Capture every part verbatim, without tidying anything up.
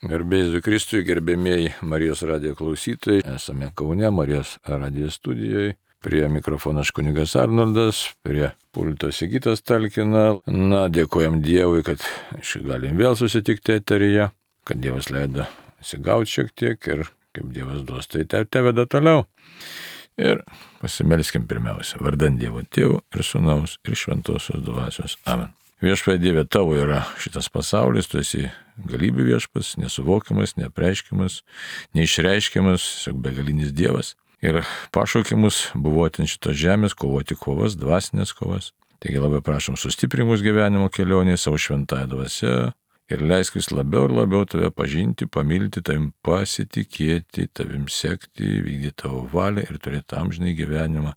Garbėjai Kristui, gerbėmėjai Marijos radijo klausytojai, esame Kaune, Marijos radijo studijoje. Prie mikrofono aš kunigas Arnoldas, prie pulto Sigitas talkina. Na, dėkojam Dievui, kad galim vėl susitikti eteryje, kad Dievas leido atsigauti šiek tiek ir kaip Dievas duos, tai te veda toliau. Ir pasimelskim pirmiausia, vardan Dievo Tėvo ir Sūnaus ir Šventosios Dvasios. Amen. Viešpatie Dieve, tavo yra šitas pasaulis, tu esi galybių viešpas, nesuvokiamas, neapreiškiamas, neišreiškiamas, tiesiog begalinis Dievas. Ir pašaukimus buvoti ant šitos žemės, kovoti kovas, dvasinės kovas. Taigi labai prašom sustiprimus gyvenimo kelionėje savo šventąją dvasią ir leisk vis labiau ir labiau tave pažinti, pamilti, tavim pasitikėti, tavim sekti, vykdyti tavo valią ir turėti amžinai gyvenimą.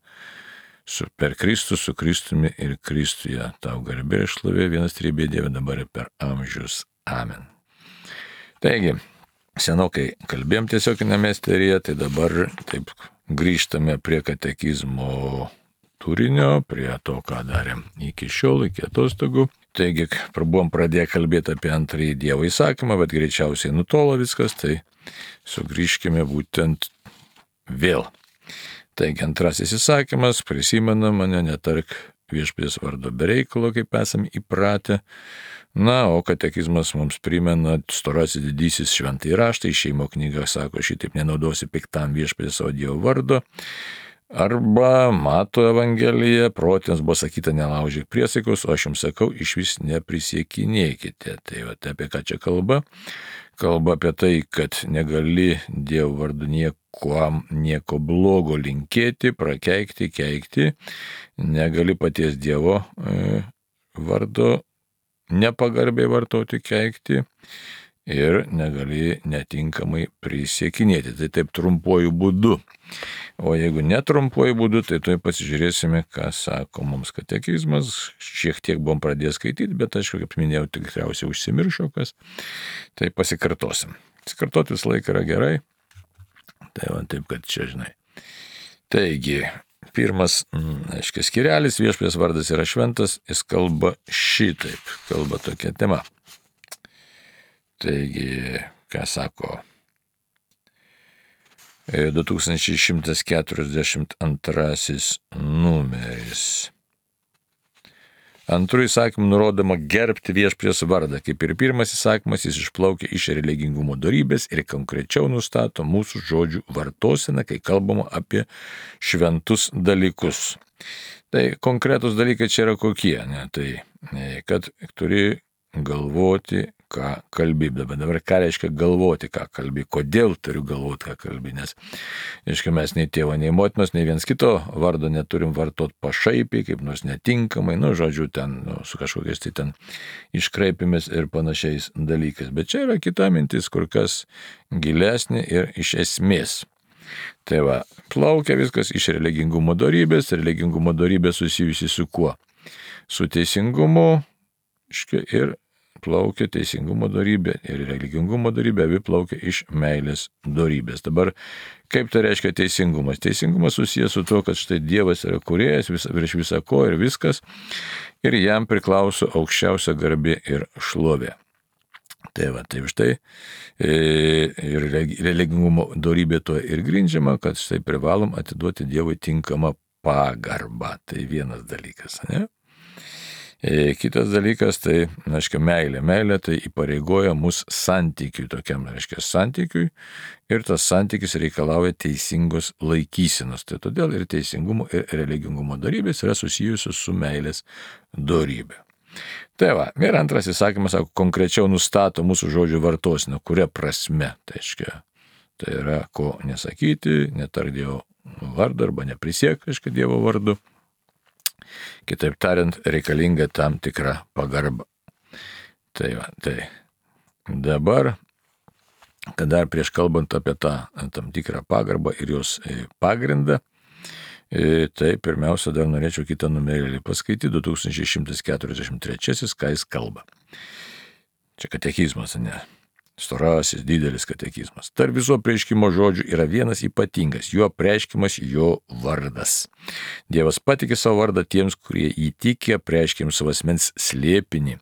Su, per Kristų, su Kristumi ir Kristuje. Tau garbė ir šlovė, vienas trybė Dieve dabar ir per amžius. Amen. Taigi, senokai kalbėjom tiesioginėme eteryje, tai dabar taip grįžtame prie katekizmo turinio, prie to, ką darėm iki šiol, iki atostogų. Taigi, buvom pradėję kalbėti apie antrąjį Dievo įsakymą, bet greičiausiai nutolo viskas, tai sugrįžkime būtent vėl. Taigi antrasis įsakymas, prisimena mane, netark viešpaties vardo be reikalo, kaip esame įpratę. Na, o katekizmas mums primena storasis didysis šventąjį raštą, išėjimo knyga sako, šitaip nenaudosi piktam viešpaties savo Dievo vardo. Arba Mato Evangelija, protėms buvo sakyta nelaužyk priesaikos, o aš jums sakau, išvis neprisiekinėkite. Tai va, apie ką čia kalba? Kalba apie tai, kad negali Dievo vardu nieko, nieko blogo linkėti, prakeikti, keikti, negali paties Dievo e, vardo nepagarbiai vartoti, keikti ir negali netinkamai prisiekinėti. Tai taip trumpuoju būdu. O jeigu netrumpuoju būdu, tai tuoj pasižiūrėsime, ką sako mums katekizmas. Šiek tiek buvom pradėję skaityti, bet aišku, kaip minėjau, tikriausiai užsimiršo kas. Tai pasikartosim. Pasikartoti visą laiką yra gerai. Tai va taip, kad čia žinai. Taigi, pirmas, aiškiai, skirelis, viešpaties vardas yra šventas, jis kalba šitaip, kalba tokia tema. Taigi, ką sako du tūkstančiai šimtas keturiasdešimt antrasis numeris. Antru įsakymu nurodoma gerbti viešpaties vardą. Kaip ir pirmas įsakymas, jis išplaukia iš religingumo dorybės ir konkrečiau nustato mūsų žodžių vartoseną, kai kalbama apie šventus dalykus. Tai konkretus dalykai čia yra kokie, ne? Tai kad turi galvoti, ką kalbi. Dabar, dabar ką reiškia galvoti, ką kalbi, kodėl turiu galvoti, ką kalbi, nes, aiškiai, mes nei tėvo, nei motinos, nei viens kito vardo neturim vartoti pašaipiai, kaip nors netinkamai, nu, žodžiu, ten, nu, su kažkokiais tai ten iškraipimis ir panašiais dalykais. Bet čia yra kita mintis, kur kas gilesnė ir iš esmės. Tai va, plaukia viskas iš religingumo dorybės, religingumo dorybė susijusi su kuo? Su teisingumu, aiškiai, ir plaukia teisingumo dorybė ir religingumo dorybė, abi plaukia iš meilės dorybės. Dabar, kaip tai reiškia teisingumas? Teisingumas susijęs su to, kad štai Dievas yra kūrėjas vis, virš visą ko ir viskas, ir jam priklauso aukščiausia garbė ir šlovė. Tai va, tai štai ir religingumo dorybė to ir grindžiama, kad štai privalom atiduoti Dievui tinkamą pagarbą. Tai vienas dalykas, ne? Kitas dalykas, tai, aiškiai, meilė. Meilė tai įpareigoja mus santykiui, tokiam, aiškiai, santykiui, ir tas santykis reikalauja teisingos laikysenos. Tai todėl ir teisingumo, ir religingumo dorybės yra susijusios su meilės dorybė. Tai va, ir antras įsakymas, sako, konkrečiau nustato mūsų žodžių vartoseną, kuria prasme, tai aiškiai, tai yra, ko nesakyti, netark Dievo vardą arba neprisiek, aiškiai, Dievo vardu. Kitaip tariant, reikalinga tam tikra pagarba. Tai va, tai dabar, kad dar prieš kalbant apie tą tam tikrą pagarbą ir jos pagrindą, tai pirmiausia dar norėčiau kitą numerėlį paskaityti, du tūkstančiai šimtas keturiasdešimt trečiasis, ką jis kalba. Čia katekizmas, ne? storasis didelis katekizmas. Tarp viso apreiškimo žodžių yra vienas ypatingas, jo apreiškimas jo vardas. Dievas patikė savo vardą tiems, kurie įtikė, apreiškėm savo asmens slėpinį.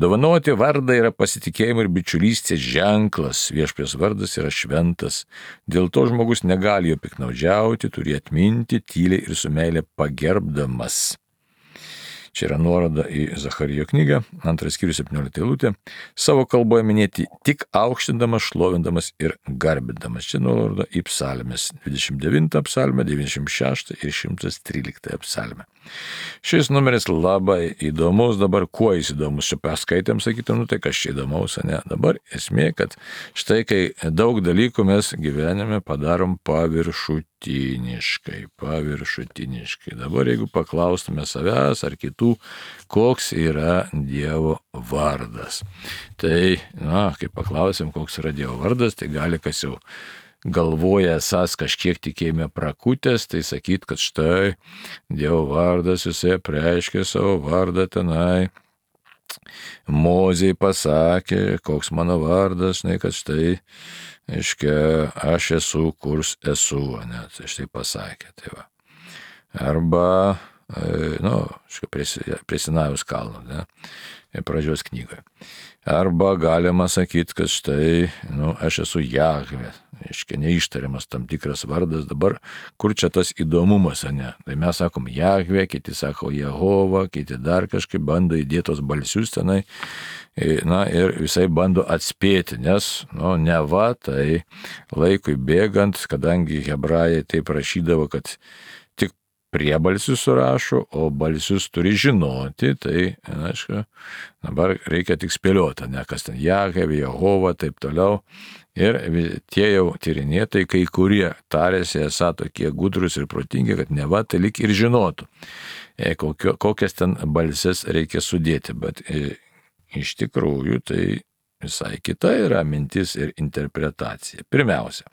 Dovanoti vardą yra pasitikėjimo ir bičiulystės ženklas, viešpaties vardas yra šventas. Dėl to žmogus negali jo piknaudžiauti, turi atminti tyliai ir su meile pagerbdamas. Čia yra nuoroda į Zacharijo knygą, antras skyrius septyniolikta eilutė, savo kalboje minėti tik aukštindamas, šlovindamas ir garbindamas. Čia nuoroda į psalmes, dvidešimt devintą psalmę, devyniasdešimt šeštą ir šimtas tryliktą psalmę. Šis numeris labai įdomus, dabar kuo jis įdomus, čia paskaitėm, sakytum, nu tai kas čia įdomaus, ne? Dabar esmė, kad štai kai daug dalykų mes gyvenime padarom paviršutiniškai, paviršutiniškai. Dabar jeigu paklaustume savęs ar kitų, koks yra Dievo vardas. Tai, na, kai paklausim, koks yra Dievo vardas, tai gali kas jau galvoja esas kažkiek tikėjime prakutęs, tai sakyt, kad štai Dievo vardas, jisai apreiškė savo vardą tenai. Mozei pasakė, koks mano vardas, žinai, kad štai, aiškia, aš esu, kurs esu, ne, tai štai pasakė, tai va. Arba, nu, prie, prie Sinajaus kalno, ne, pradžios knygoje. Arba galima sakyti, kad štai, nu, aš esu Jahvė, aiškia, neištariamas tam tikras vardas. Dabar, kur čia tas įdomumas, ne? Tai mes sakom Jahvė, kiti sako Jehova, kiti dar kažkaip bando įdėtos balsius tenai, na ir visai bando atspėti, nes, nu, ne va, tai laikui bėgant, kadangi hebrajai taip rašydavo, kad tik priebalsius surašo, o balsius turi žinoti, tai, na, aišku, dabar reikia tik spėlioti, ne, kas ten Jahvė, Jehova, taip toliau. Ir tie jau tyrinėtojai, kai kurie tarėsi esą tokie gudrus ir protingi, kad ne va, tai lik ir žinotų, kokio, kokias ten balses reikia sudėti, bet iš tikrųjų tai visai kita yra mintis ir interpretacija. Pirmiausia,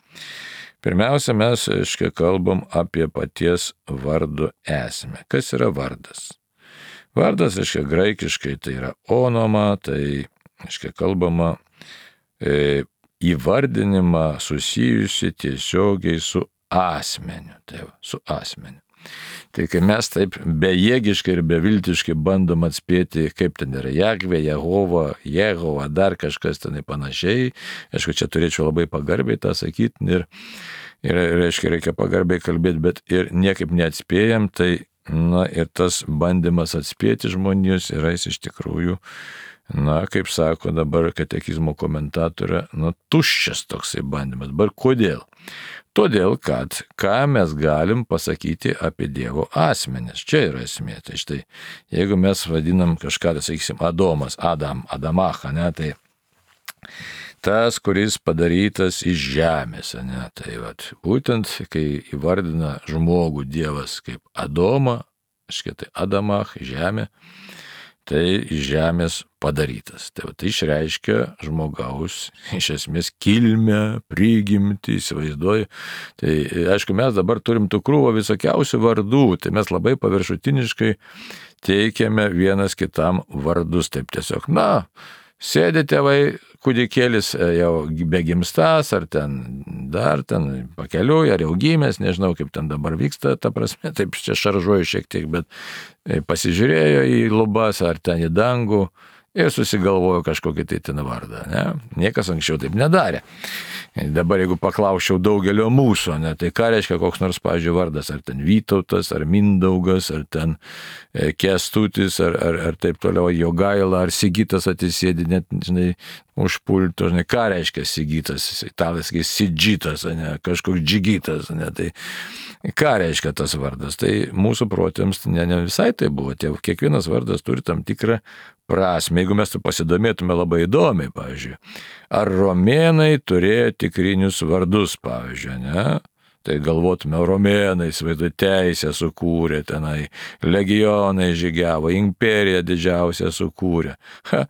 pirmiausia mes, aiškiai, kalbam apie paties vardo esmę. Kas yra vardas? Vardas, aiškiai, graikiškai tai yra onoma, tai, aiškiai, kalbama e, įvardinimą susijusi tiesiogiai su asmeniu, tai va, su asmeniu. Tai kai mes taip bejėgiškai ir beviltiškai bandom atspėti, kaip ten yra Jahvė, Jehova, Jehova, dar kažkas tenai panašiai, aišku, čia turėčiau labai pagarbiai tą sakyti ir, ir reiškia, reikia pagarbiai kalbėti, bet ir niekaip neatspėjam, tai, na, ir tas bandymas atspėti žmonijos yra jis iš tikrųjų, na, kaip sako dabar katekizmo komentatorė, nu, tuščias toksai bandymas. Dabar kodėl? Todėl, kad ką mes galim pasakyti apie Dievo asmenis. Čia yra esmė. Tai štai, jeigu mes vadinam kažką, tai sakysim, Adomas, Adam, Adamacha, ne, tai tas, kuris padarytas iš žemės, ne, tai vat, būtent, kai įvardina žmogų Dievas kaip Adomą, tai Adamach, žemė, tai iš žemės padarytas. Tai, va, tai išreiškia žmogaus, iš esmės, kilmę, prigimtį, įsivaizduoju. Tai, aišku, mes dabar turim tų krūvą visokiausių vardų, tai mes labai paviršutiniškai teikiame vienas kitam vardus. Taip tiesiog, na, sėdi tėvai, kūdikėlis jau begimstas, ar ten dar ten pakeliui, ar jau gimęs, nežinau, kaip ten dabar vyksta, ta prasme, taip čia šaržuoju šiek tiek, bet pasižiūrėjo į lubas, ar ten į dangų ir susigalvojo kažkokį tai ten vardą, ne? Niekas anksčiau taip nedarė. Dabar jeigu paklausčiau daugelio mūsų, ne, tai ką reiškia koks nors, pavyzdžiui, vardas, ar ten Vytautas, ar Mindaugas, ar ten Kęstutis, ar, ar, ar taip toliau Jogaila, ar Sigitas atsisėdi, net, žinai, už pulto, žinai, ką reiškia Sigitas, italas, kai Sidžitas, ne, kažkoks Džigitas, ne, tai ką reiškia tas vardas, tai mūsų protėms ne, ne visai tai buvo, tie, kiekvienas vardas turi tam tikrą prasme, jeigu mes tu pasidomėtume labai įdomiai, pavyzdžiui, ar romėnai turėjo tikrinius vardus, pavyzdžiui, ne? Tai galvotume, romėnai, įsivaizduoju, teisę sukūrė tenai, legionai žygiavo, imperija didžiausia sukūrė. Ha.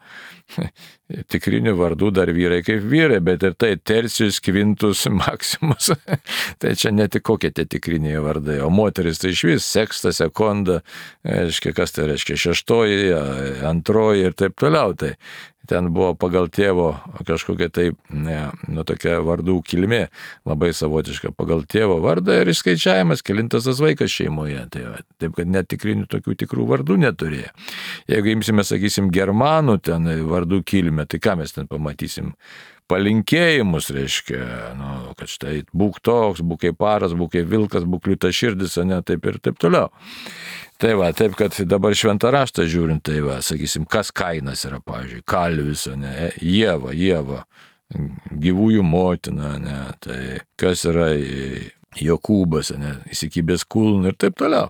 Tikrinių vardų dar vyrai kaip vyrai, bet ir tai Tercijus, Kvintus, Maksimus, tai čia ne tik kokie tie tikriniai vardai, o moteris tai iš vis Seksta, Sekonda, reiškia, kas tai reiškia, šeštoji, antroji ir taip toliau. Tai ten buvo pagal tėvo kažkokia tai, ne, nu tokia vardų kilmė, labai savotiška pagal tėvo vardą ir išskaičiavimas, kelintas tas vaikas šeimoje. Tai va, taip, kad netikrinių tokių tikrų vardų neturėjo. Jeigu imsime, sakysim, germanų ten vardų kilmę, tai ką mes ten pamatysim? Palinkėjimus, reiškia, nu, kad štai būk toks, būk kaip paras, būk kaip vilkas, būk liūtaširdis, ne, taip ir taip toliau. Tai va, taip, kad dabar šventą raštą žiūrint, tai va, sakysim, kas Kainas yra, pavyzdžiui, kalvis, ne, Ieva, Ieva, gyvųjų motina, ne, tai kas yra Jokūbas, ne, įsikibęs kulną ir taip toliau.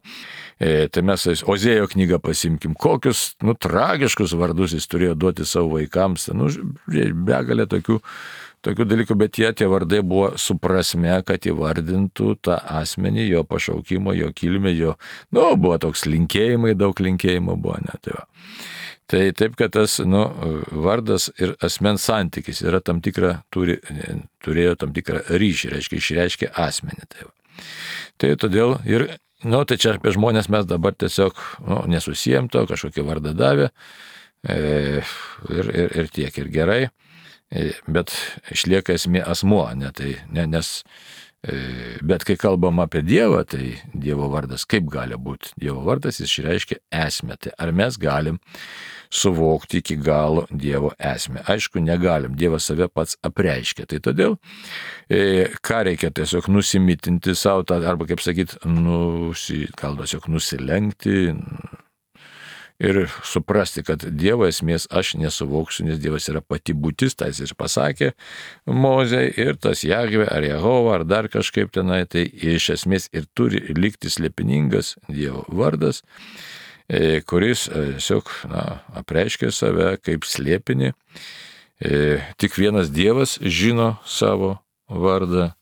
E, tai mes Ozėjo knygą pasimkim, kokius, nu, tragiškus vardus jis turėjo duoti savo vaikams, nu, begalė tokių, tokių dalykų, bet jie tie vardai buvo su prasme, kad įvardintų tą asmenį, jo pašaukimo, jo kilmę, jo, nu, buvo toks linkėjimai, daug linkėjimo buvo, ne, tai va. Tai taip, kad tas, nu, vardas ir asmens santykis yra tam tikrą, turi, turėjo tam tikrą ryšį, reiškia, išreiškia asmenį. Tai, va. Tai todėl ir, nu, tai čia apie žmonės mes dabar tiesiog, nu, nesusijom to, kažkokį vardą davė e, ir, ir, ir tiek, ir gerai, e, bet išlieka esmė asmuo, ne, tai, ne, nes bet kai kalbam apie Dievą, tai Dievo vardas kaip gali būti? Dievo vardas jis išreiškia esmę. Tai ar mes galim suvokti iki galo Dievo esmę? Aišku, negalim. Dievas save pats apreiškia. Tai todėl, e, ką reikia tiesiog nusimitinti savo, arba kaip sakyt, nusi, gal tiesiog nusilenkti ir suprasti, kad Dievo esmės aš nesuvoksiu, nes Dievas yra pati būtis, tai jis ir pasakė Mozei, ir tas Jahvė ar Jehova ar dar kažkaip tenai, tai iš esmės ir turi likti slėpiningas Dievo vardas, kuris tiesiog, na, apreiškia save kaip slėpinį. Tik vienas Dievas žino savo vardą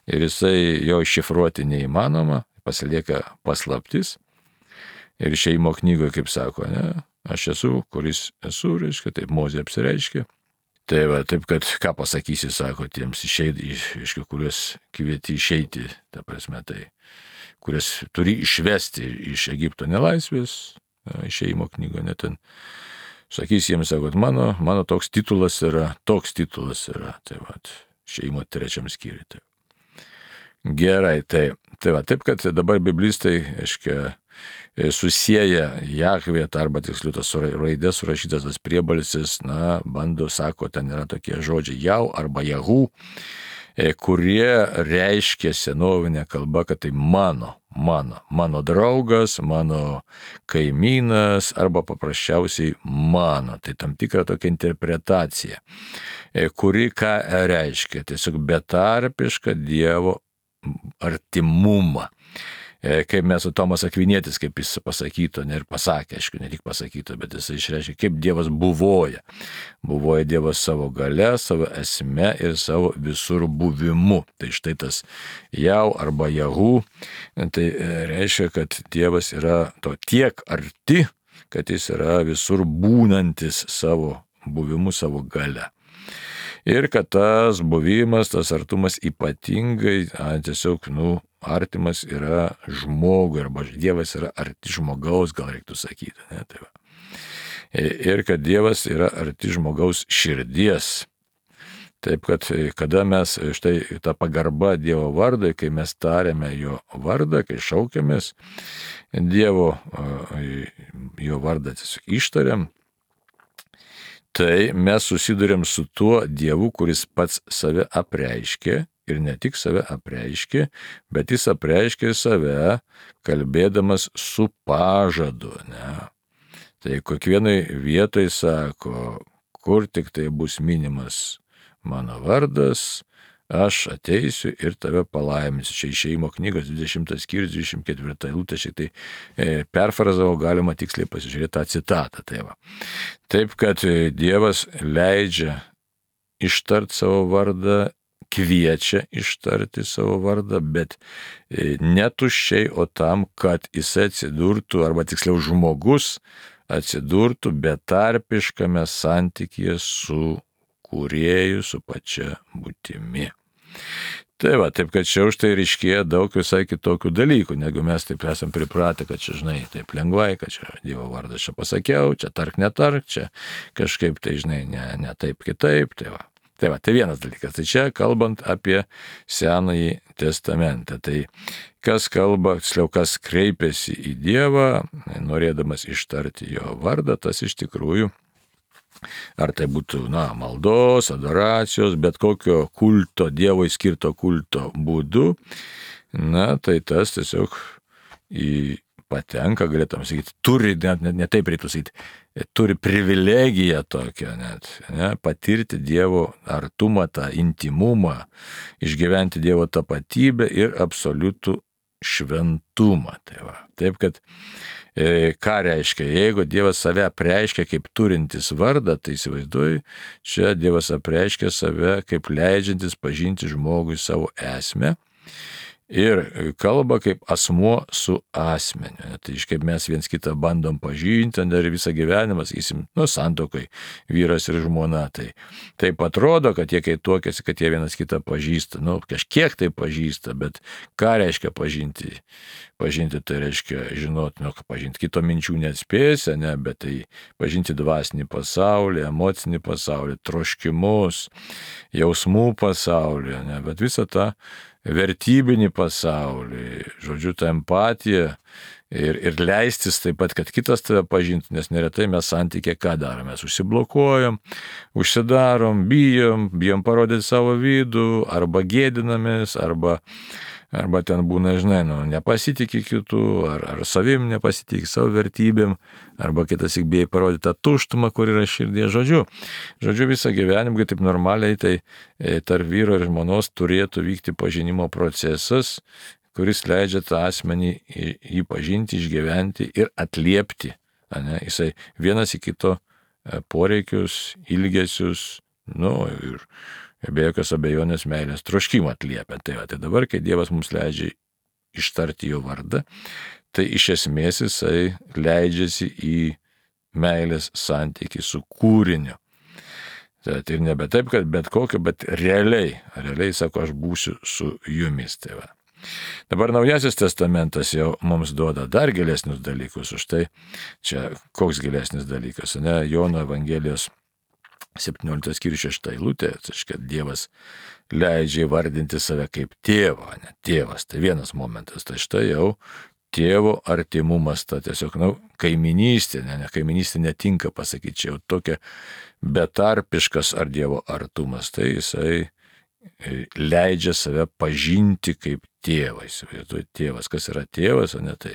ir jisai jo iššifruoti neįmanoma, pasilieka paslaptis. Ir išėjimo knygoje, kaip sako, ne, aš esu, kuris esu, reiškia, taip Mozė apsireiškia. Tai va, taip, kad ką pasakysi, sako, tiems išeiti, reiškia, kuriuos kvieti išeiti, ta prasme, tai, kuriuos turi išvesti iš Egipto nelaisvės, išėjimo knygoje, net ten, sakys jiems, sako, mano, mano toks titulas yra, toks titulas yra, tai va, išėjimo trečiam skyriui. Tai. Gerai, tai, tai va, taip, kad dabar biblistai, reiškia, susieja Jahvė, arba tiksliau tas raidės surašytas tas priebalsis, na, bando, sako, ten yra tokie žodžiai jau arba Jahu, kurie reiškia senovinė kalba, kad tai mano, mano, mano draugas, mano kaimynas arba paprasčiausiai mano. Tai tam tikra tokia interpretacija, kuri ką reiškia, tiesiog betarpišką Dievo artimumą. Kaip mes su Tomas Akvinietis, kaip jis pasakyto, ne ir pasakė, aišku, ne tik pasakyto, bet jis išreiškia, kaip Dievas buvoja. Buvoja Dievas savo gale, savo esme ir savo visur buvimu. Tai štai tas jau arba Jahu, tai reiškia, kad Dievas yra to tiek arti, kad jis yra visur būnantis savo buvimu, savo gale. Ir kad tas buvimas, tas artumas ypatingai, a, tiesiog, nu, artimas yra žmogui, arba Dievas yra arti žmogaus, gal reiktų sakyti. Ne? Tai va. Ir kad Dievas yra arti žmogaus širdies. Taip, kad kada mes, štai ta pagarba Dievo vardai, kai mes tariame jo vardą, kai šaukiamės Dievo, jo vardą tiesiog ištariam, tai mes susidurėm su tuo Dievu, kuris pats save apreiškė ir ne tik save apreiškė, bet jis apreiškė save kalbėdamas su pažadu. Ne? Tai kiekvienai vietai sako, kur tik tai bus minimas mano vardas, aš ateisiu ir tave palaiminsiu. Čia išėjimo knygos dvidešimtas skyrius, dvidešimt ketvirta eilutė, šiek tai e, perfrazavo, galima tiksliai pasižiūrėti tą citatą. Tai va. Taip, kad Dievas leidžia ištart savo vardą, kviečia ištarti savo vardą, bet e, ne tuščiai, o tam, kad jis atsidurtų, arba tiksliau žmogus atsidurtų betarpiškame santykyje su kūrėju, su pačia būtimi. Tai va, taip kad čia už tai ryškėja daug visai kitokių dalykų, negu mes taip esam pripratę, kad čia, žinai, taip lengvai, kad čia Dievo vardą čia pasakiau, čia tark netark, čia kažkaip tai, žinai, ne, ne taip kitaip, tai va. Tai va, tai vienas dalykas. Tai čia kalbant apie Senąjį testamentą. Tai kas kalba, tiksliau, kas kreipiasi į Dievą, norėdamas ištarti jo vardą, tas iš tikrųjų, ar tai būtų, na, maldos, adoracijos, bet kokio kulto, Dievui skirto kulto būdu, na, tai tas tiesiog į patenka, galėtum sakyti, turi, net, net, net taip reiktų sakyti, turi privilegiją tokią net, ne, patirti Dievo artumą, tą intimumą, išgyventi Dievo tapatybę ir absoliutų šventumą. Tai va. Taip, kad e, ką reiškia, jeigu Dievas save apreiškia kaip turintis vardą, tai įsivaizduoju, čia Dievas apreiškia save kaip leidžiantis pažinti žmogui savo esmę. Ir kalba kaip asmuo su asmeniu. Tai iš kaip mes viens kitą bandom pažinti, dar visą gyvenimą, sakysim, nu, santuokai, vyras ir žmona. Tai taip atrodo, kad jie kai tuokiasi, kad jie vienas kitą pažįsta. Nu, kažkiek tai pažįsta, bet ką reiškia pažinti? Pažinti tai reiškia žinoti, nu, pažinti kito minčių neatspėsi, ne, bet tai pažinti dvasinį pasaulį, emocinį pasaulį, troškimus, jausmų pasaulį, ne, bet visą tą vertybinį pasaulį, žodžiu, tą empatiją ir, ir leistis taip pat, kad kitas tave pažintų, nes neretai mes santykė ką darom, mes užsiblokuojam, užsidarom, bijom, bijom parodyti savo vidų, arba gėdinamės, arba, arba ten būna, žinai, nu, nepasitikė kitų, ar, ar savim nepasitikė savo vertybėm, arba kitas tik bijai parodyti tą tuštumą, kur yra širdie. Žodžiu, žodžiu visą gyvenimą, kai taip normaliai, tai e, tarp vyro ir žmonos turėtų vykti pažinimo procesas, kuris leidžia tą asmenį jį pažinti, išgyventi ir atliepti. Ne? Jisai vienas į kito poreikius, ilgesius, nu, ir be jokios abejonės meilės troškimą atliepia. Tai, va, tai dabar, kai Dievas mums leidžia ištarti jo vardą, tai iš esmės jisai leidžiasi į meilės santykį su kūriniu. Tai ir nebe taip, kad bet kokio, bet realiai, realiai sako, aš būsiu su jumis. Tai va. Dabar Naujasis testamentas jau mums duoda dar gilesnius dalykus, už tai čia koks gilesnis dalykas, ne, Jono Evangelijos septynioliktas skyrius šešta eilutė, tai kad Dievas leidžia įvardinti save kaip tėvą, ne tėvas, tai vienas momentas, tai štai jau tėvo artimumas, ta tiesiog, na, kaiminystė, ne, ne kaiminystė netinka pasakyti, čia jau tokia betarpiškas ar Dievo artumas, tai jisai leidžia save pažinti kaip tėvą, įsivaizduoju, tėvas, kas yra tėvas, o ne tai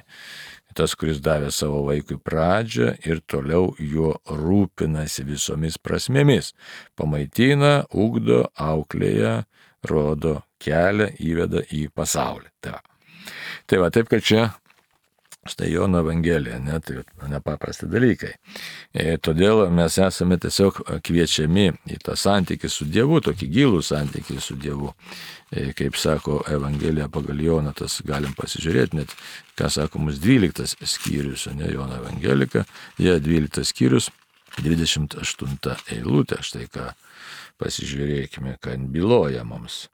tas, kuris davė savo vaikui pradžią ir toliau juo rūpinasi visomis prasmėmis, pamaitina, ugdo, auklėja, rodo kelią, įveda į pasaulį. Tai va, tai va taip, kad čia štai Jono Evangelija, ne, tai nepaprasti dalykai. E, todėl mes esame tiesiog kviečiami į tą santykį su Dievu, tokį gilų santykį su Dievu. E, kaip sako Evangelija pagal Joną, tas galim pasižiūrėti, net ką sako mums dvyliktas skyrius, ne, Jono Evangelika, jie dvyliktas skyrius, dvidešimt aštunta eilutė, štai ką pasižiūrėkime, ką byloja mums.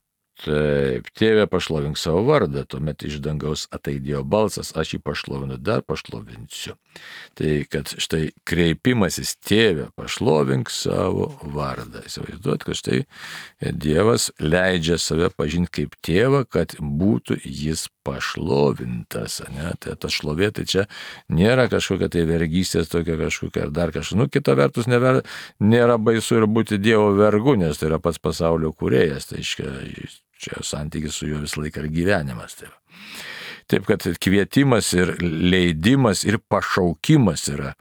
Taip, tėve pašlovink savo vardą, tuomet iš dangaus ataidėjo balsas, aš jį pašlovinu, dar pašlovinsiu. Tai kad štai kreipimasis tėve pašlovink savo vardą. Įsivaizduot, kad štai Dievas leidžia save pažinti kaip tėvą, kad būtų jis pašlovintas. Ne? Tai ta šlovė, tai čia nėra kažkokia tai vergystės tokia kažkokia ar dar kažkokia. Nu, kita vertus, never, nėra baisu ir būti Dievo vergu, nes tai yra pats pasaulio kūrėjas. Tai iškia, čia santykis su juo visą laiką ir gyvenimas. Taip. Taip, kad kvietimas ir leidimas ir pašaukimas yra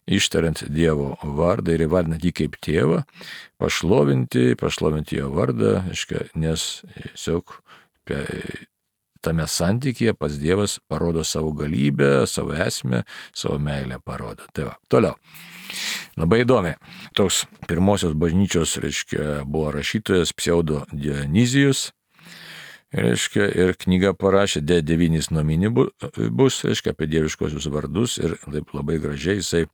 ištariant Dievo vardą ir įvardinant jį kaip tėvą, pašlovinti, pašlovinti jo vardą, iškia, nes tiesiog tame santykyje pats Dievas parodo savo galybę, savo esmę, savo meilę parodo. Tai va, toliau. Labai įdomi. Toks pirmosios bažnyčios, reiškia, buvo rašytojas Pseudo Dionizijus. reiškia, ir knygą parašė, de devynis nomini bus, reiškia, apie dieviškosius vardus ir taip labai gražiai jisai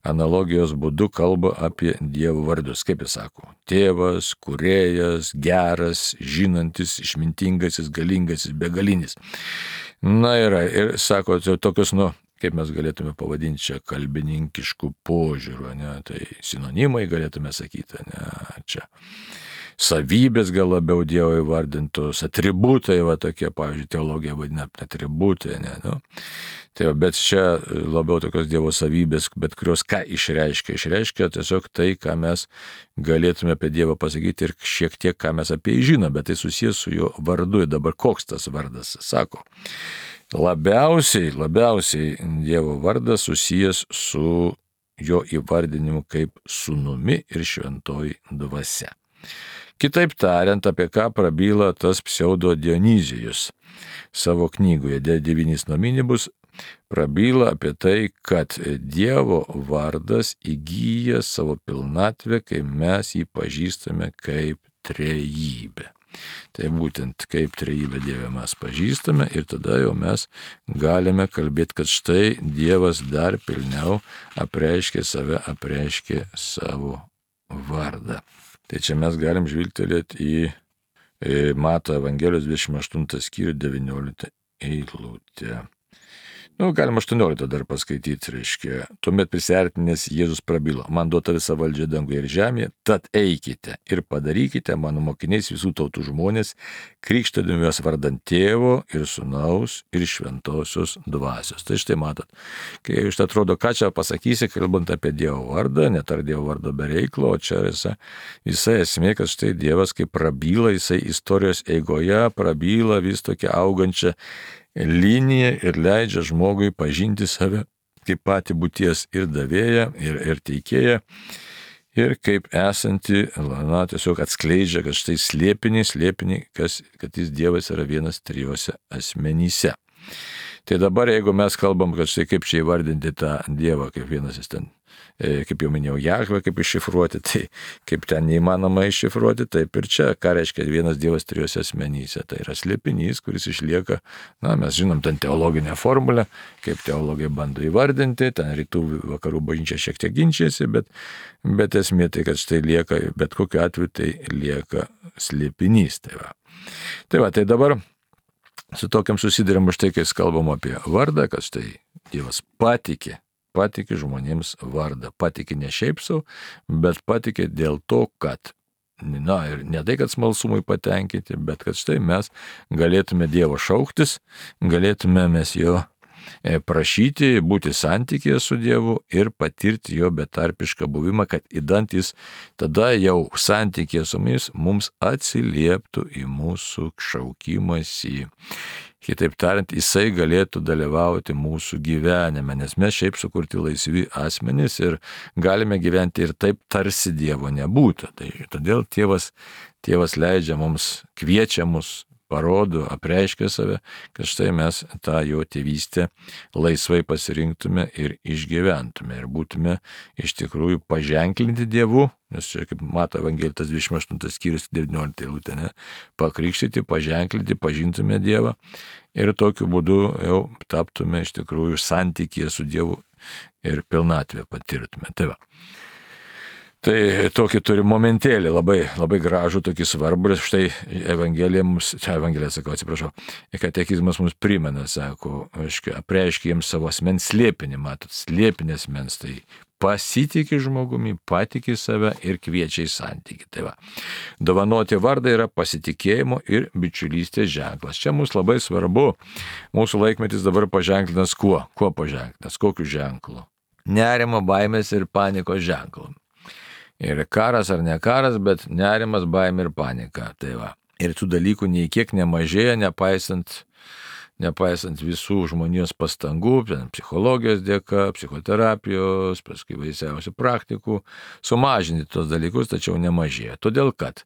analogijos būdu kalba apie Dievo vardus. Kaip jis sako, tėvas, kūrėjas, geras, žinantis, išmintingasis, galingasis, begalinis. Na yra, ir sako, tokius, nu, kaip mes galėtume pavadinti čia kalbininkiškų požiūrių, ne, tai sinonimai galėtume sakyti, ne, čia. Savybės gal labiau Dievo įvardintos, atributai, va tokie, pavyzdžiui, teologija vadina atributai, ne, nu. Tai, bet čia labiau tokios Dievo savybės, bet kurios ką išreiškia, išreiškia tiesiog tai, ką mes galėtume apie Dievą pasakyti ir šiek tiek, ką mes apie jį žinome, bet tai susijęs su jo vardu. Ir dabar koks tas vardas, sako, labiausiai, labiausiai Dievo vardas susijęs su jo įvardinimu kaip sūnumi ir šventoji dvasia. Kitaip tariant, apie ką prabyla tas pseudo Dionizijus savo knygoje De devynis nominibus, prabyla apie tai, kad Dievo vardas įgyja savo pilnatvę, kai mes jį pažįstame kaip trejybę. Tai būtent kaip trejybę Dievę mes pažįstame ir tada jau mes galime kalbėti, kad štai Dievas dar pilniau apreiškė save, apreiškė savo vardą. Tai čia mes galim žvilgtelėti į Mato Evangelijos dvidešimt aštuntą skyrių devynioliktą eilutę. Nu, galima aštuonioliktą dar paskaityti, reiškia. Tuomet prisiartinęs Jėzus prabilo, man duota visa valdžia danguje ir žemėje, tad eikite ir padarykite mano mokiniais visų tautų žmonės, krikštydami juos vardant Tėvo ir Sūnaus ir Šventosios dvasios. Tai štai matot, kai iš tai atrodo, ką čia pasakysi, kalbant apie Dievo vardą, net ar Dievo vardo be reiklo, o čia visa, visa esmė, kad štai Dievas kaip prabyla, jisai istorijos eigoje prabyla vis tokia augančia linija ir leidžia žmogui pažinti save kaip patį būties ir davėją, ir, ir teikėją, ir kaip esanti, na, tiesiog atskleidžia, kad štai slėpinį, slėpinį, kas, kad jis Dievas yra vienas trijose asmenyse. Tai dabar, jeigu mes kalbam, kad štai kaip čia įvardinti tą Dievą, kaip vienas jis ten, kaip jau minėjau, Jahvę, kaip iššifruoti, tai kaip ten neįmanoma iššifruoti, taip ir čia, ką reiškia vienas Dievas trijose asmenyse. Tai yra slėpinys, kuris išlieka, na, mes žinom ten teologinę formulę, kaip teologai bando įvardinti, ten rytų vakarų bažnyčia šiek tiek ginčiasi, bet, bet esmė tai, kad štai lieka, bet kokiu atveju tai lieka slėpinys. Tai va, tai, va, tai dabar su tokiam susiduriam už tai, kai kalbam apie vardą, kad štai Dievas patikė, patikė žmonėms vardą. Patikė ne šiaip savo, bet patikė dėl to, kad, na ir ne tai, kad smalsumui patenkinti, bet kad štai mes galėtume Dievo šauktis, galėtume mes jo prašyti, būti santykėje su Dievu ir patirti jo betarpišką buvimą, kad įdant jis tada jau santykėje su mumis mums atsilieptų į mūsų šaukimąsi. Kitaip tariant, jisai galėtų dalyvauti mūsų gyvenime, nes mes šiaip sukurti laisvi asmenys ir galime gyventi ir taip, tarsi Dievo nebūtų. Tai todėl tėvas, tėvas leidžia mums, kviečia mus, parodo, apreiškia save, kad štai mes tą jo tėvystę laisvai pasirinktume ir išgyventume ir būtume iš tikrųjų paženklinti Dievu, nes čia kaip Mato Evangelijos dvidešimt aštuntas skyrius devyniolikta eilutė, ne, pakrikštyti, paženklinti, pažintume Dievą ir tokiu būdu jau taptume iš tikrųjų santykėje su Dievu ir pilnatvę patirtume. Tai va. Tai tokį turi momentėlį, labai, labai gražų, tokį svarbų, ir štai Evangelija mums, čia Evangelija, sakau, atsiprašau, katekizmas mums primena, sako, apreiškia jiems savo asmens slėpinį, matot, slėpinį asmens, tai pasitikė žmogumi, patikė save ir kviečia į santykį. Tai va, dovanoti vardą yra pasitikėjimo ir bičiulystės ženklas. Čia mums labai svarbu, mūsų laikmetis dabar paženklinas kuo? Kuo paženklinas? Kokiu ženklu? Nerimo, baimės ir panikos ženklu. Ir karas ar ne karas, bet nerimas, baimė ir panika. Tai va. Ir tų dalykų nei kiek nemažėja, nepaisant, nepaisant visų žmonijos pastangų, psichologijos dėka, psichoterapijos, paskui vaisiausių praktikų, sumažinti tos dalykus, tačiau nemažėja. Todėl, kad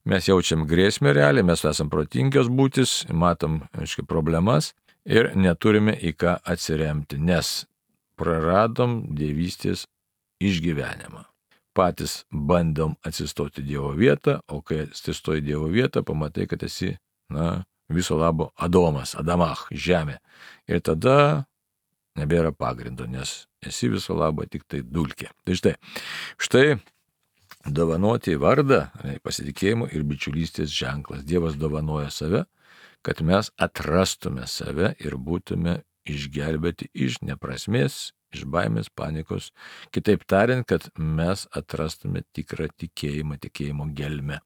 mes jaučiam grėsmę realiai, mes esam protingios būtis, matom, aiškiai, problemas ir neturime į ką atsiremti, nes praradom dievystės išgyvenimą. Patys bandom atsistoti Dievo vietą, o kai atsistoji Dievo vietą, pamatai, kad esi, na, viso labo Adomas, Adamach, žemė. Ir tada nebėra pagrindo, nes esi viso labo tik tai dulkė. Tai štai, štai dovanoti vardą, pasitikėjimo ir bičiulystės ženklas. Dievas dovanoja save, kad mes atrastume save ir būtume išgelbėti iš neprasmės, iš baimės, panikos. Kitaip tariant, kad mes atrastume tikrą tikėjimą, tikėjimo gelmę.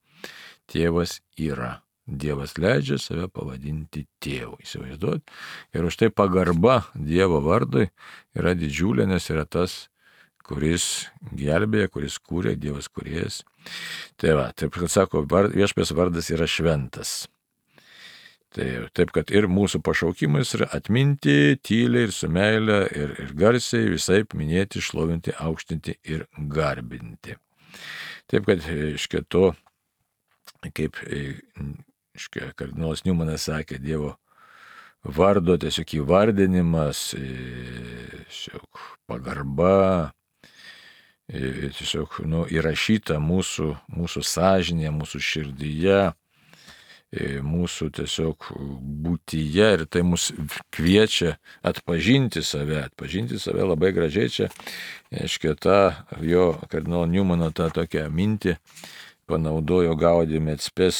Tėvas yra. Dievas leidžia save pavadinti tėvu. Įsivaizduot. Ir už tai pagarba Dievo vardui yra didžiulė, nes yra tas, kuris gelbėja, kuris kūrė, Dievas kūrėjas. Tai va, taip kad sako, viešpaties vardas yra šventas. Tai, taip, kad ir mūsų pašaukimas yra atminti, tyliai ir su meile, ir, ir garsiai visaip minėti, šlovinti, aukštinti ir garbinti. Taip, kad iškia to, kaip iškia, kardinolas Niumanas sakė, Dievo vardo tiesiog įvardinimas, tiesiog pagarba, tiesiog nu, įrašyta mūsų, mūsų sąžinėje, mūsų širdyje, mūsų tiesiog būtyje, ir tai mus kviečia atpažinti save, atpažinti save labai gražiai čia, aiškiai, tą jo kardinolo Niumano tą tokią mintį panaudojo Gaudium et Spes,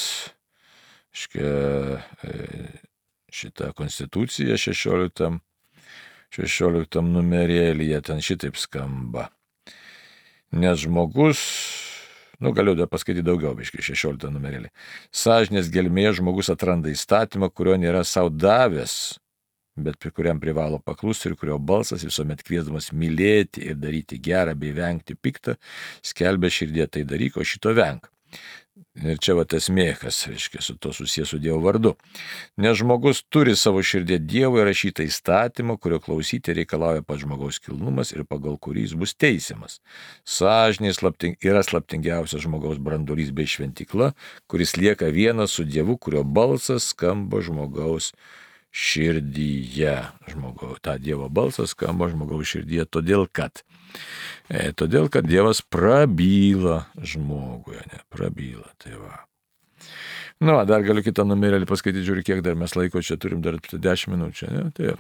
aiškiai, šitą konstituciją šešioliktam, šešioliktam numerėlyje, ten šitaip skamba. Nes žmogus, nu galiu dar paskaityti daugiau, biškai, šešioliktą numerėlį. Sąžinės gelmėje žmogus atranda įstatymą, kurio nėra savo davęs, bet prie kuriam privalo paklusti ir kurio balsas visuomet kviesdamas mylėti ir daryti gerą bei vengti piktą, skelbia širdie tai daryk, o šito venk. Ir čia va tas mėkas, reiškia, su to susijęs su Dievo vardu. Nes žmogus turi savo širdie Dievo įrašytą įstatymą, kurio klausyti reikalauja pats žmogaus kilnumas ir pagal kurį jis bus teisiamas. Sąžinė slapting, yra slaptingiausias žmogaus branduolys bei šventykla, kuris lieka vienas su Dievu, kurio balsas skamba žmogaus širdyje. Žmogaus, ta Dievo balsas skamba žmogaus širdyje, todėl kad E, todėl, kad Dievas prabyla žmogui, ne, prabyla, tai va. Nu, dar galiu kitą numerėlį paskaityti, žiūrėk, kiek dar mes laiko čia turim, dar dešimt minučių, ne, tai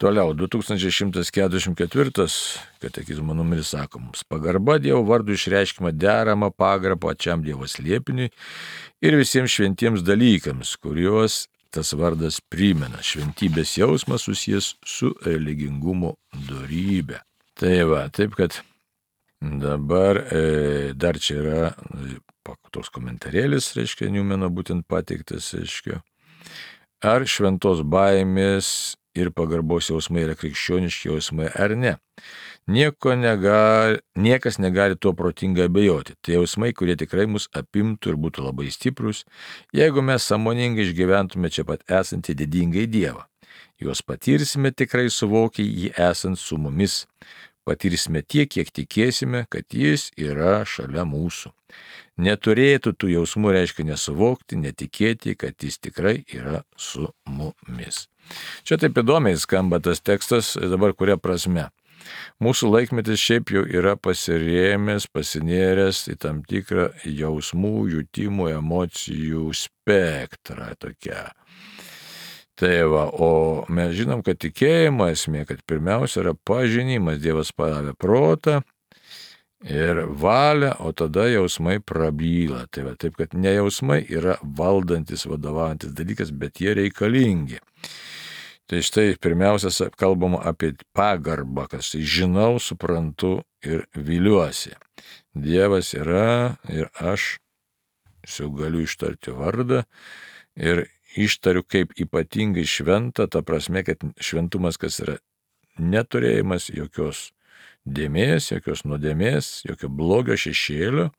toliau, du tūkstančiai šimtas keturiasdešimt ketvirtas katekizmo numeris sako mums, pagarba Dievo vardu išreiškima deramą pagarbą pačiam Dievo slėpiniui ir visiems šventiems dalykams, kuriuos tas vardas primena. Šventybės jausmas susijęs su religingumo dorybė. Tai va, taip kad dabar e, dar čia yra e, toks komentarėlis, reiškia, Niumano būtent pateiktas, reiškia, ar šventos baimės ir pagarbos jausmai yra krikščioniški jausmai ar ne. Nieko negali, niekas negali tuo protingai abejoti. Tai jausmai, kurie tikrai mus apimtų ir būtų labai stiprus, jeigu mes sąmoningai išgyventume čia pat esantį didingai Dievą. Juos patirsime tikrai suvokę jį esant su mumis. Patirsime tiek, kiek tikėsime, kad jis yra šalia mūsų. Neturėtų tų jausmų, reiškia nesuvokti, netikėti, kad jis tikrai yra su mumis. Čia taip įdomiai skamba tas tekstas, dabar kuria prasme. Mūsų laikmetis šiaip jau yra pasirėmęs, pasinėręs į tam tikrą jausmų, jutimų, emocijų spektrą tokią. Tai va, o mes žinom, kad tikėjimo esmė, kad pirmiausia yra pažinimas, Dievas padavė protą ir valią, o tada jausmai prabyla. Tai va, taip, kad ne jausmai yra valdantis, vadovaujantis dalykas, bet jie reikalingi. Tai štai pirmiausia kalbama apie pagarbą, kad štai žinau, suprantu ir viliuosi. Dievas yra ir aš jau galiu ištarti vardą ir ištariu kaip ypatingai šventą, ta prasme, kad šventumas, kas yra neturėjimas jokios dėmės, jokios nuodėmės, jokio blogio šešėlio,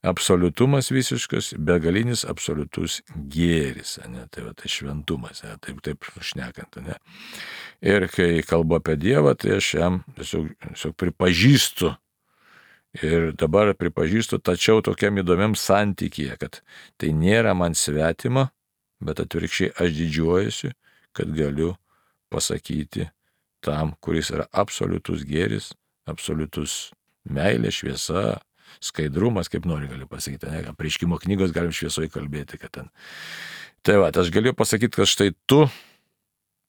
absoliutumas visiškas, begalinis absoliutus gėris, ne? Tai va, tai šventumas, ne? Taip, taip šnekant. Ne? Ir kai kalbu apie Dievą, tai aš jam tiesiog, tiesiog pripažįstu. Ir dabar pripažįstu, tačiau tokiam įdomiam santykyje, kad tai nėra man svetima, bet atvirkščiai aš didžiuojuosi, kad galiu pasakyti tam, kuris yra absoliutus gėris, absoliutus meilė, šviesa, skaidrumas, kaip nori galiu pasakyti. Ne? Apreiškimo knygos galim šviesoje kalbėti, kad ten Tai va, aš galiu pasakyti, kad štai tu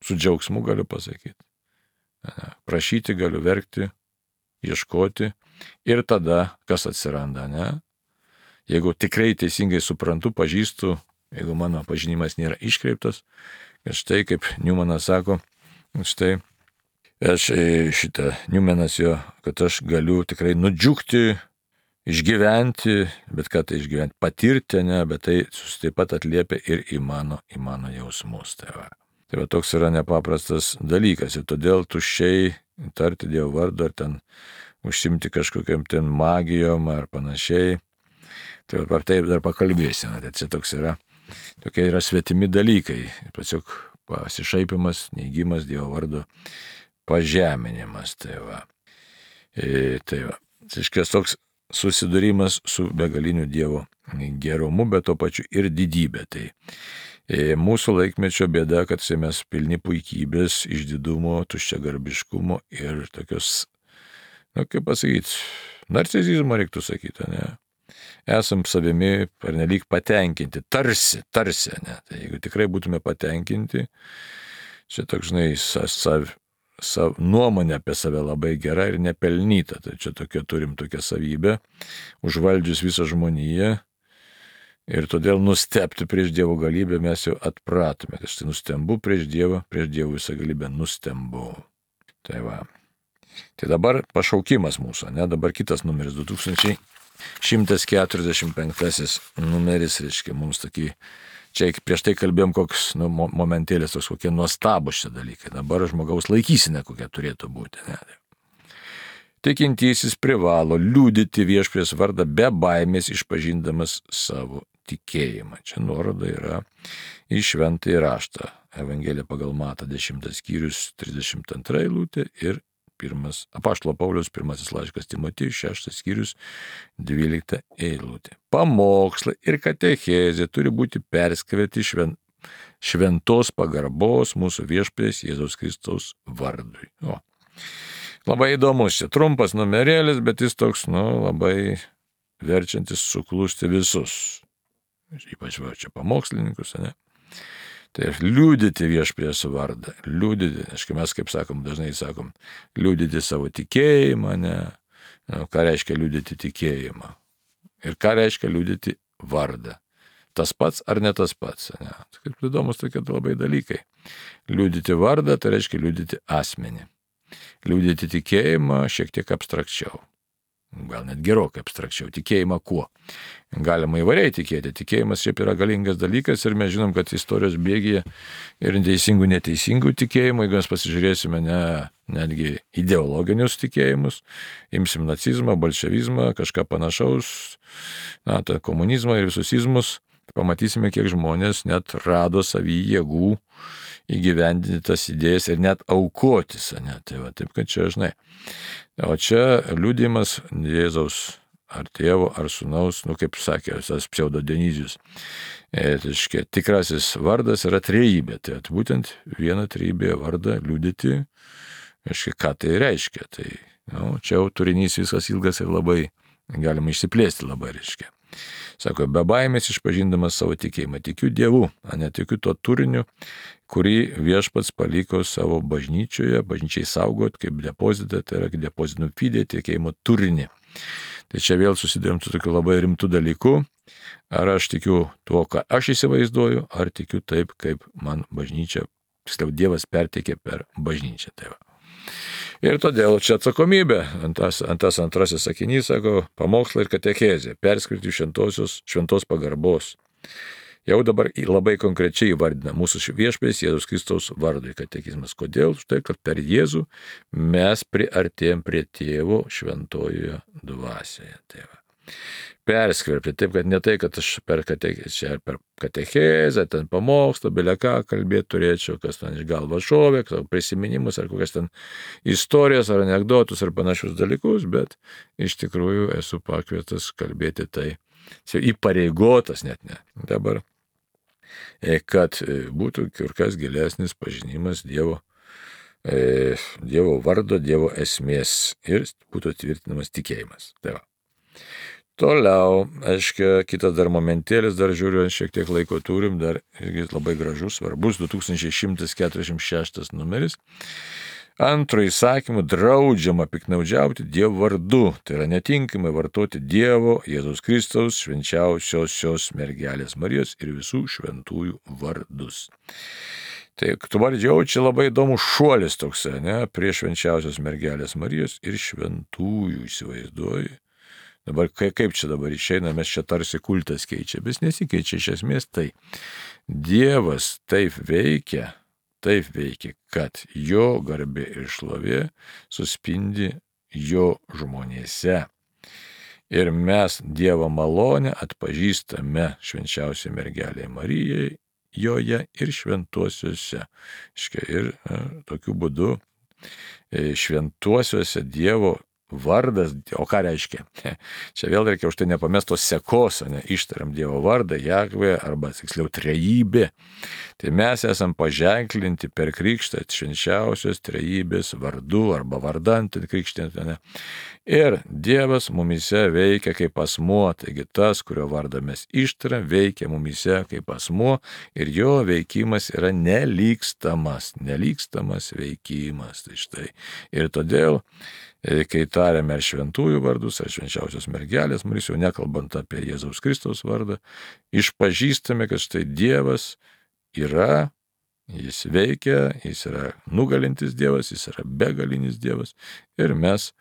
su džiaugsmu galiu pasakyti. Prašyti galiu, verkti, ieškoti ir tada kas atsiranda, ne? Jeigu tikrai teisingai suprantu, pažįstu, jeigu mano pažinimas nėra iškreiptas, kad štai kaip Newmanas sako, štai aš šitą Newmanas jo, kad aš galiu tikrai nudžiugti, išgyventi, bet ką tai išgyventi, patirti, ne, bet tai taip pat atliepia ir į mano, į mano jausmus. Tai va. Tai va toks yra nepaprastas dalykas ir todėl tuščiai tarti Dievo vardą ar ten užsimti kažkokiam ten magijom ar panašiai. Tai va taip dar pakalbėsime, tai čia toks yra, tokie yra svetimi dalykai. Tiesiog pasišaipimas, neigimas Dievo vardo, pažeminimas. Tai va. E, tai va. Tai toks susidūrimas su begaliniu Dievo gerumu, bet to pačiu ir didybė. Tai e, mūsų laikmečio bėda, kad mes pilni puikybės, išdidumo, tuščiagarbiškumo ir tokios, na kaip pasakyti, narcisizmo reiktų sakyti, ne? Esam savimi pernelyg patenkinti, tarsi, tarsi, ne? Tai jeigu tikrai būtume patenkinti, čia toks, žinai, sav, sav, nuomonė apie save labai gera ir nepelnyta, tai čia tokia turim tokią savybę, užvaldžius visą žmoniją ir todėl nustebti prieš Dievo galybę mes jau atpratome, kad štai nustembu prieš Dievą, prieš Dievo visą galybę nustembu. Tai va. Tai dabar pašaukimas mūsų, ne, dabar kitas numeris, du tūkstančiai šimtas keturiasdešimt penktasis numeris, reiškia, mums tokį, čia prieš tai kalbėjom koks, nu, momentėlis, toks kokie nuostabus šie dalykai, dabar žmogaus laikysena kokia turėtų būti, ne. Tikintysis privalo liudyti Viešpaties vardą be baimės, išpažindamas savo tikėjimą. Čia nuoroda yra į šventąjį raštą. Evangelija pagal Matą dešimtas skyrius trisdešimt antra eilutė ir pirmas, apaštalo Pauliaus pirmasis laiškas Timotiejui, šeštas skyrius dvylikta eilutė. Pamokslai ir katechezė turi būti perskverti švent, šventos pagarbos mūsų Viešpaties Jėzaus Kristaus vardui. O. Labai įdomus, čia trumpas numerėlis, bet jis toks, nu, labai verčiantis suklusti visus. Ypač va, čia pamokslininkus, ne? Tai liudyti Viešpaties vardą, liudyti, aišku, mes kaip sakom, dažnai sakom, liudyti savo tikėjimą, ne? Nu, ką reiškia liudyti tikėjimą? Ir ką reiškia liudyti vardą? Tas pats ar ne tas pats, ne? Tai kaip įdomus tokie labai dalykai. Liudyti vardą, tai reiškia liudyti asmenį. Liudyti tikėjimą šiek tiek abstrakčiau. Gal net gerokai abstrakčiau. Tikėjimą kuo? Galima įvairiai tikėti. Tikėjimas šiaip yra galingas dalykas ir mes žinom, kad istorijos bėgyje ir teisingų, neteisingų tikėjimų, jeigu mes pasižiūrėsime ne, netgi ideologinius tikėjimus, imsim nacizmą, bolševizmą, kažką panašaus, na, tą komunizmą ir visus izmus, pamatysime, kiek žmonės net rado savy jėgų įgyvendinti tas idėjas ir net aukotis, ne? Tai va, taip, kad čia, žinai. O čia liudijimas Jėzaus ar tėvo, ar sūnaus, nu, kaip sakė visas pseudo Dionizijus. E, tai tikrasis vardas yra trejybė, tai būtent vieną trejybėje vardą liudyti, aiškiai, ką tai reiškia. Tai, nu, čia jau turinys visas ilgas ir labai galima išsiplėsti labai, reiškia. Sako, be baimės išpažindamas savo tikėjimą, tikiu Dievu, o netikiu to turiniu, kurį Viešpats paliko savo bažnyčioje, bažnyčiai saugot kaip depozitą, tai yra depozitų fide, tikėjimo turinį. Tai čia vėl susidurėm su tokiu labai rimtu dalyku, ar aš tikiu tuo, ką aš įsivaizduoju, ar tikiu taip, kaip man bažnyčia, tiksliau Dievas perteikė per bažnyčią. Tai va. Ir todėl čia atsakomybė, antas, antas antrasis sakinys, sako, pamokslai ir katechezė, perskirti šventosios, šventos pagarbos. Jau dabar labai konkrečiai įvardina mūsų Viešpaties Jėzaus Kristaus vardui katekizmas. Kodėl? Štai, kad per Jėzų mes priartėjom prie Tėvo šventojoje dvasioje. Tai va. Perskverpti, taip, kad ne tai, kad aš per katechezę, per katechezę, ten pamokslą, belia ką kalbėti turėčiau, kas ten iš galva šovė, prisiminimus ar kokias ten istorijas ar anekdotus ar panašius dalykus, bet iš tikrųjų esu pakviestas kalbėti tai, įpareigotas net ne. Dabar, kad būtų kur kas gilesnis pažinimas Dievo, Dievo vardo, Dievo esmės ir būtų tvirtinamas tikėjimas. Tai va. Toliau, aiškiai, kitas dar momentėlis, dar žiūriu, šiek tiek laiko turim, dar irgi labai gražus, svarbus, du tūkstančiai šimtas keturiasdešimt šeštas numeris. Antro įsakymu draudžiama piknaudžiauti Dievo vardu, tai yra netinkamai vartoti Dievo, Jėzaus Kristaus, švenčiausiosios mergelės Marijos ir visų šventųjų vardus. Tai tu vardžiau, čia labai įdomus šuolis toks, ne, prie švenčiausios mergelės Marijos ir šventųjų, įsivaizduoji. Dabar kaip čia dabar išeina, mes čia tarsi kultas keičia, bet nesikeičia iš esmės tai. Dievas taip veikia, taip veikia, kad jo garbė ir šlovė suspindi jo žmonėse. Ir mes Dievo malonę atpažįstame švenčiausiai mergelėje Marijai, joje ir šventuosiuose. Ir a, tokiu būdu šventuosiuose Dievo vardas, o ką reiškia? Čia vėl reikia už tai nepamest tos sekos, ne, ištariam Dievo vardą, Jahvė, arba tiksliau trejybė. Tai mes esam paženklinti per krikštą švenčiausios trejybės vardu arba vardant krikštinant. Ne. Ir Dievas mumise veikia kaip asmuo, taigi tas, kurio vardą mes ištariam, veikia mumise kaip asmuo ir jo veikimas yra nelygstamas, nelygstamas veikimas. Tai štai. Ir todėl kai tariame ar šventųjų vardus, ar švenčiausios mergelės Marijos, jau nekalbant apie Jėzaus Kristaus vardą, išpažįstame, kad štai Dievas yra, jis veikia, jis yra nugalintis Dievas, jis yra begalinis Dievas ir mes,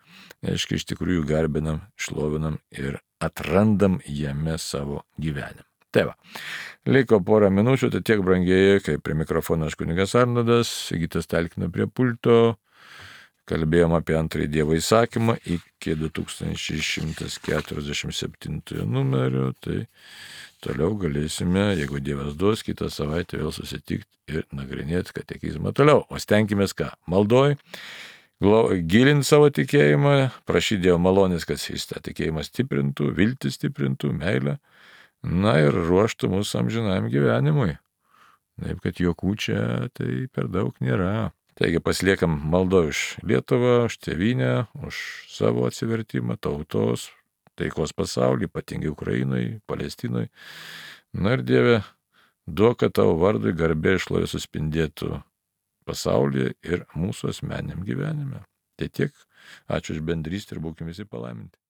aiškiai, iš tikrųjų garbinam, šlovinam ir atrandam jame savo gyvenimą. Tai va, liko porą minučių, tai tiek brangieji, kaip prie mikrofono aš kunigas Arnoldas, Sigitas talkina prie pulto. Kalbėjom apie antrąjį Dievo įsakymą iki du tūkstančiai šimtas keturiasdešimt septintojo numerio, tai toliau galėsime, jeigu Dievas duos, kitą savaitę vėl susitikti ir nagrinėti katekizmą toliau. O stenkimės ką? Maldoj, gilinti savo tikėjimą, prašyti Dievo malonės, kad jis tą tikėjimą stiprintų, viltį stiprintų, meilę, na ir ruoštų mūsų amžinajam gyvenimui. Taip, kad jokų čia tai per daug nėra. Taigi pasiliekam maldo už Lietuvą, už tėvynę, už savo atsivertimą, tautos, taikos pasaulį, ypatingai Ukrainai, Palestinai. Na ir Dieve, duok, kad tavo vardui garbė ir šlovė suspindėtų pasaulyje ir mūsų asmeniniam gyvenime. Tai tiek, ačiū už bendrystę ir būkime visi palaiminti.